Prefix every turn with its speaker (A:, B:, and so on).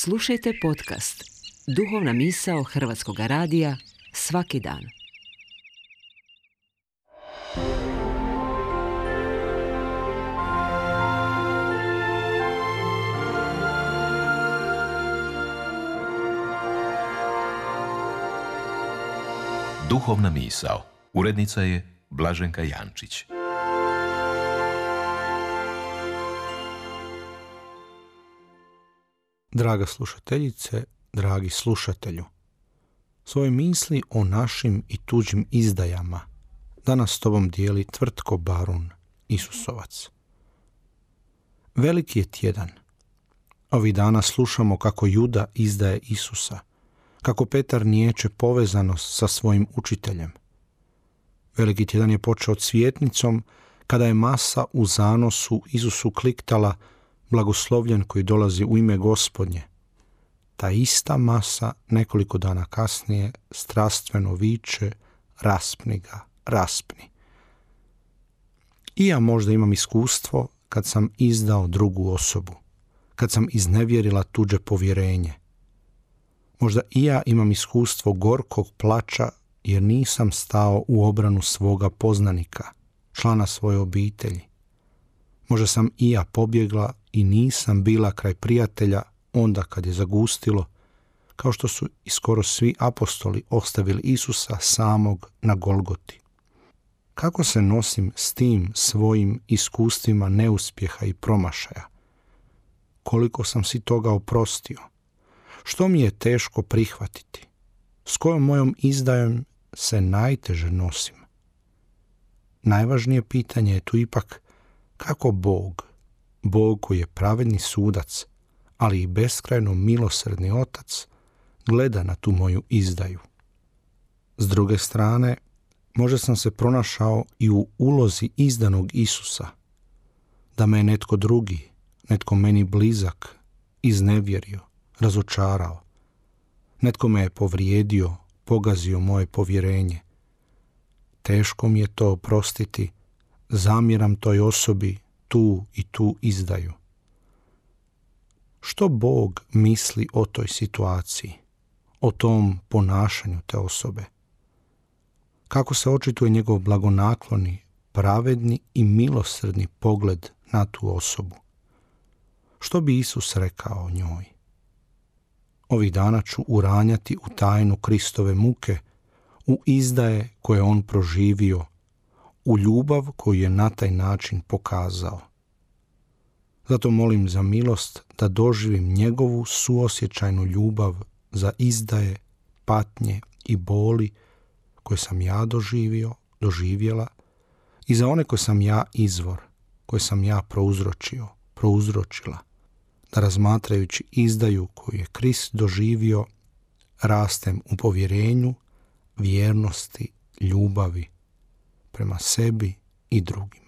A: Slušajte podcast Duhovna misao Hrvatskog radija svaki dan.
B: Duhovna misao. Urednica je Blaženka Jančić.
C: Draga slušateljice, dragi slušatelju, svoje misli o našim i tuđim izdajama danas s tobom dijeli Tvrtko Barun Isusovac. Veliki je tjedan. Ovih dana slušamo kako Juda izdaje Isusa, kako Petar niječe povezanost sa svojim učiteljem. Veliki tjedan je počeo cvjetnicom kada je masa u zanosu Isusu kliktala blagoslovljen koji dolazi u ime Gospodnje. Ta ista masa nekoliko dana kasnije strastveno viče: raspni ga, raspni. I ja možda imam iskustvo kad sam izdao drugu osobu, kad sam iznevjerila tuđe povjerenje. Možda i ja imam iskustvo gorkog plača jer nisam stao u obranu svoga poznanika, člana svoje obitelji. Možda sam i ja pobjegla i nisam bila kraj prijatelja onda kad je zagustilo, kao što su i skoro svi apostoli ostavili Isusa samog na Golgoti. Kako se nosim s tim svojim iskustvima neuspjeha i promašaja? Koliko sam si toga oprostio? Što mi je teško prihvatiti? S kojom mojom izdajom se najteže nosim? Najvažnije pitanje je tu ipak kako Bog koji je pravedni sudac, ali i beskrajno milosrdni otac, gleda na tu moju izdaju. S druge strane, možda sam se pronašao i u ulozi izdanog Isusa, da me je netko drugi, netko meni blizak, iznevjerio, razočarao. Netko me je povrijedio, pogazio moje povjerenje. Teško mi je to oprostiti, zamjeram toj osobi tu i tu izdaju. Što Bog misli o toj situaciji, o tom ponašanju te osobe? Kako se očituje njegov blagonakloni, pravedni i milosrdni pogled na tu osobu? Što bi Isus rekao o njoj? Ovih dana ću uranjati u tajnu Kristove muke, u izdaje koje on proživio, u ljubav koju je na taj način pokazao. Zato molim za milost da doživim njegovu suosjećajnu ljubav za izdaje, patnje i boli koje sam ja doživjela i za one koje sam ja izvor, koje sam ja prouzročila, da razmatrajući izdaju koju je Krist doživio, rastem u povjerenju, vjernosti, ljubavi prema sebi i drugim.